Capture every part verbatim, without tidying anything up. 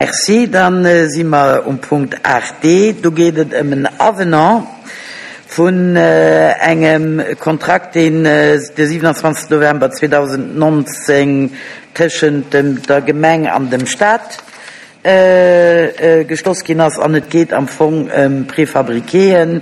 Merci. Dann si mer um Punkt aacht D. Do geet et ëm en Avenant vun engem Kontrakt, deen de siewenundzwanzigsten November zweedausendnonzéng tëschent dem, der Gemeng an dem Staat geschloss ginn ass. An et geet am Fong ëm Préfabriquéen,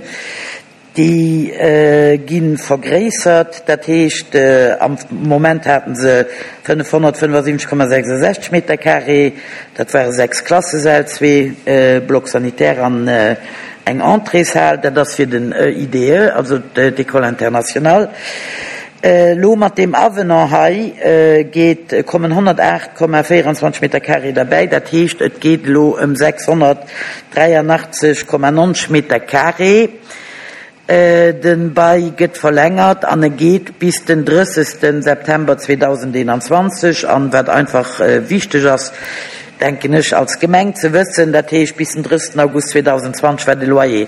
déi gi vergréissert. Dat heescht, am Moment haten se fënnefhonnertfënnefasiwwenzeg Komma sechsundsechzeg Meter carré, dat ware sechs Klassesäll, zwee Blocs sanitaires an eng Entréeshal. Dat ass fir den E I D E, also d'École internationale. Elo mat deem Avenant hei geet, kommen honnertaacht Komma véierundzwanzeg Meter carré derbäi. Dat heescht, et geet elo ëm sechshonnertdräianachtzeg Komma neunzeg Meter carré. Den Bail gëtt verlängert an e geet bis den drëssigsten September zweedausendeenundzwanzeg. An wat einfach wichteg ass, denken ech, als Gemeng ze wëssen, dat heescht bis den drëssigsten August zweetausendzwanzeg war de Loyer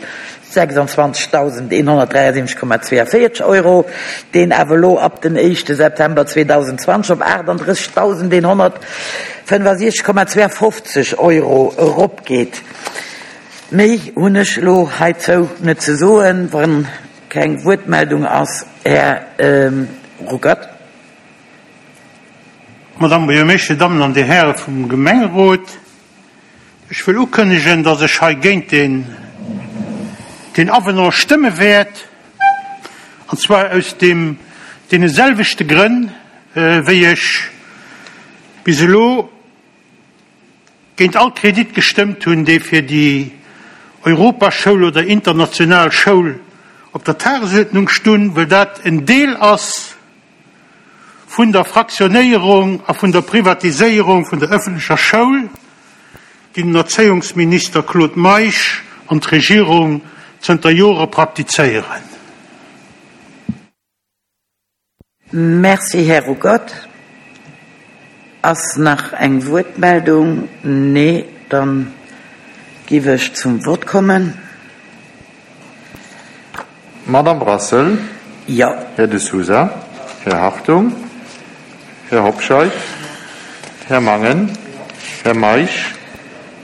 sechsundzwanzigtausendeenhonnertdräiundsiebzig Komma zweiundvierzig Euro, deen awer elo ab den éischte September zweetausendzwanzeg op achtunddrëssigtausendeenhonnertfënnefundsiechzig Komma zweiundfünfzig Euro eropgeet. Méi hunn ech elo heizou net ze soen, wann keng Wuertmeldung ass, Här Ruckert. Madame Buergermeeschter, Damen an Dir Häre vum Gemengerot, ech wëll ukënnegen, dass ech hei géint den, den Avenant stëmme wäert, an zwar aus dem, deene selwechte Grënn, wéi ech bis elo géint all Kredit gestëmmt hunn, déi fir déi Europaschoul oder international Schoul op der Tagesordnung stun, well dat en Deel ass vun der Fraktionéierung a vun der Privatiséierung vun der öffentlecher Schoul, déi den Erzéiungsminister Claude Meisch an d'Regierung zënter Jore praktizéieren. Merci, Här Ruckert. Ass nach eng Wuertmeldung? Nee, dann giff ech zum Wort kommen. Madame Brassel. Ja. Här de Sousa, Här Hartung, Här Hobscheit, Här Mangen, Här Meisch,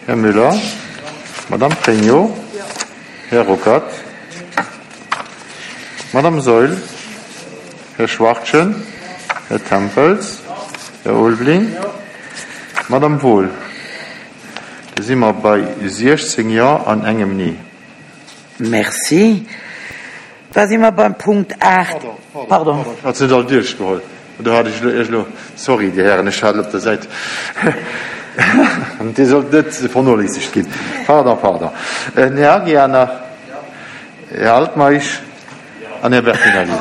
Här Müller, Madame Pregno, Här Ruckert, Madame Saeul, Här Schwachtgen, Här Tempels, Här Ulveling, Madame Wohl. Da si mer bei siechzéng Ja an engem Nee. Merci. Da si mer beim Punkt aacht. Pardon, Pardon. Ech hat se net all duerchgeholl. Do hat ech elo, elo, sorry, Dir Hären, ech hat op der Säit. Dir sollt net vernoléissegt ginn. Pardon, pardon. Den Här Aguiar nach, Här Altmeisch an Här Bertinelli.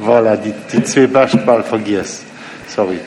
Voilà, déi, déi zwee Bescht bal vergiess. Sorry.